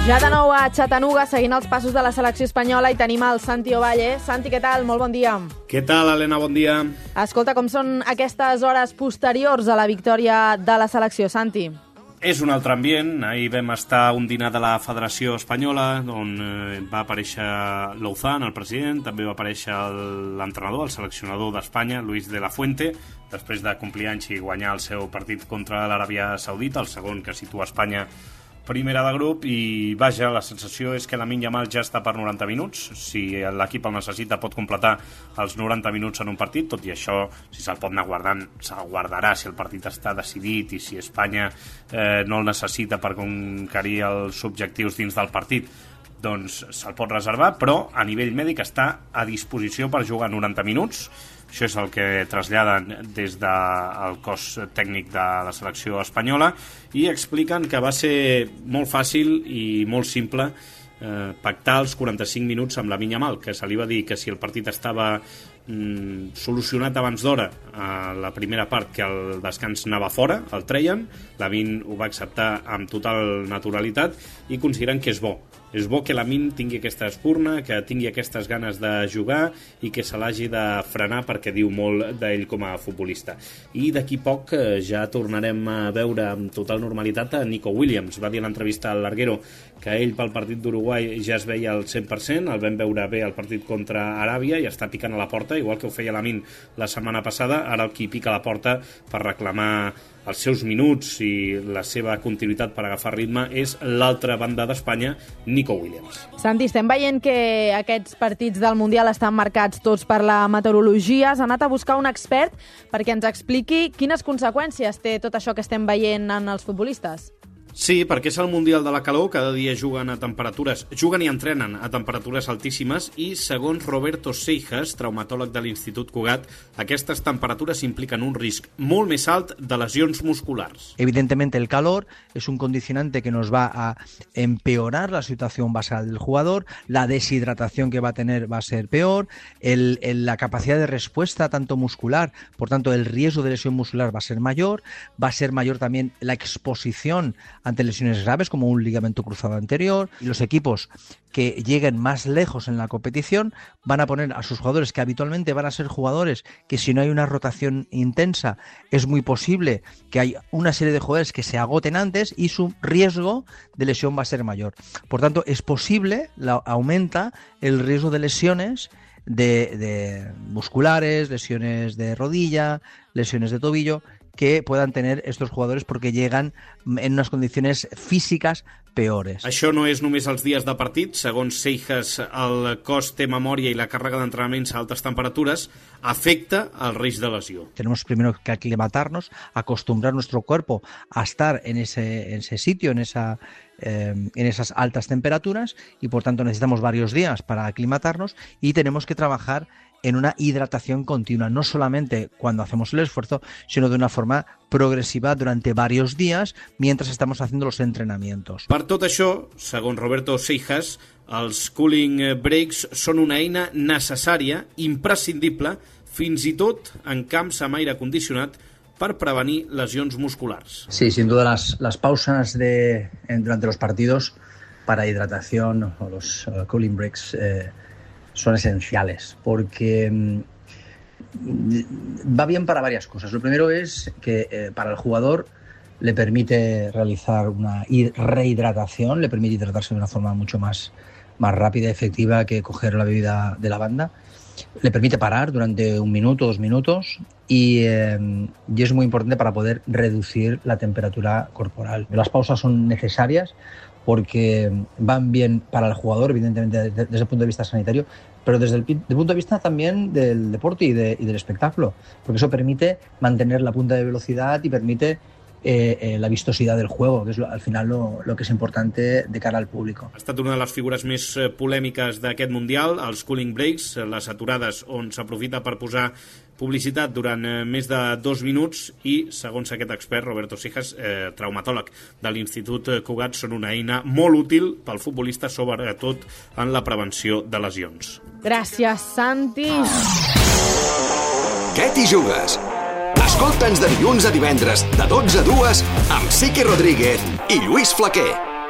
Ja de nou a Chattanooga, seguint els passos de la selecció espanyola, i tenim el Santi Ovalle. Santi, què tal? Molt bon dia. Què tal, Helena? Bon dia. Escolta, com són aquestes hores posteriors a la victòria de la selecció, Santi? És un altre ambient. Ahir vam estar a un dinar de la Federació Espanyola, on va aparèixer Louzán, el president, també va aparèixer l'entrenador, el seleccionador d'Espanya, Luis de la Fuente, després de complir anys i guanyar el seu partit contra l'Aràbia Saudita, el segon que situa Espanya primera de grup. I vaja, la sensació és que Lamine Yamal ja està per 90 minuts. Si l'equip el necessita pot completar els 90 minuts en un partit, tot i això, si se'l pot anar guardant, se'l guardarà si el partit està decidit i si Espanya no el necessita per conquerir els objectius dins del partit, doncs se'l pot reservar, però a nivell mèdic està a disposició per jugar 90 minuts. Això és el que traslladen des del cos tècnic de la selecció espanyola, i expliquen que va ser molt fàcil i molt simple pactar els 45 minuts amb Lamine Yamal, que se li va dir que si el partit estava solucionat abans d'hora a la primera part, que el descans anava fora, el treien. Lamine ho va acceptar amb total naturalitat i consideren que és bo. És bo que Lamine tingui aquesta espurna, que tingui aquestes ganes de jugar i que se l'hagi de frenar, perquè diu molt d'ell com a futbolista. I d'aquí poc ja tornarem a veure amb total normalitat a Nico Williams. Va dir a l'entrevista al Larguero que ell pel partit d'Uruguai ja es veia al 100%, el vam veure bé al partit contra Aràbia i està picant a la porta, igual que ho feia Lamine la setmana passada. Ara el qui pica a la porta per reclamar els seus minuts i la seva continuïtat per agafar ritme és l'altra banda d'Espanya, Nico Williams. Santi, estem veient que aquests partits del Mundial estan marcats tots per la meteorologia. Has anat a buscar un expert perquè ens expliqui quines conseqüències té tot això que estem veient en els futbolistes. Sí, perquè és el Mundial de la calor, cada dia juguen i entrenen a temperatures altíssimes, i segons Roberto Seijas, traumatòleg de l'Institut Cugat, aquestes temperatures impliquen un risc molt més alt de lesiones musculares. Evidentemente el calor es un condicionante que nos va a empeorar la situación basal del jugador, la deshidratación que va a tener va a ser peor, la capacidad de respuesta tanto muscular, por tanto el riesgo de lesión muscular va a ser mayor también la exposición ante lesiones graves como un ligamento cruzado anterior, y los equipos que lleguen más lejos en la competición van a poner a sus jugadores, que habitualmente van a ser jugadores que si no hay una rotación intensa es muy posible que hay una serie de jugadores que se agoten antes y su riesgo de lesión va a ser mayor. Por tanto, es posible, aumenta el riesgo de lesiones de musculares, lesiones de rodilla, lesiones de tobillo, que puedan tener estos jugadores porque llegan en unas condiciones físicas peores. Això no és només els dies de partit. Segons Seijas, el cos té memòria i la càrrega d'entrenaments a altes temperatures afecta el risc de lesió. Tenemos primero que aclimatarnos, acostumbrar nuestro cuerpo a estar en ese sitio, en esas altas temperaturas, y por tanto necesitamos varios días para aclimatarnos, y tenemos que trabajar en una hidratación continua, no solamente cuando hacemos el esfuerzo, sino de una forma progresiva durante varios días mientras estamos haciendo los entrenamientos. Per tot això, segons Roberto Seijas, els cooling breaks són una eina necessària, imprescindible, fins i tot en camps amb aire condicionat, per prevenir lesions musculars. Sí, sin duda las pausas durante los partidos para hidratación o los cooling breaks son esenciales, porque va bien para varias cosas. Lo primero es que para el jugador le permite realizar una rehidratación, le permite hidratarse de una forma mucho más rápida y efectiva que coger la bebida de la banda. Le permite parar durante 1 minuto, 2 minutos, y es muy importante para poder reducir la temperatura corporal. Las pausas son necesarias porque van bien para el jugador, evidentemente desde el punto de vista sanitario, pero desde el punto de vista también del deporte y del espectáculo, porque eso permite mantener la punta de velocidad y permite la vistosidad del juego, que es al final lo que és importante de cara al público. Ha estat una de les figures més polèmiques d'aquest Mundial, els cooling breaks, les aturades on s'aprofita per posar publicitat durant més de 2 minuts, i, segons aquest expert, Roberto Seijas, traumatòleg de l'Institut Cugat, són una eina molt útil pel futbolista, sobretot en la prevenció de lesions. Gràcies, Santi. Què t'hi jugues? Escolta'ns de dilluns a divendres, de 12 a 2, amb Sique Rodríguez i Lluís Flaquer.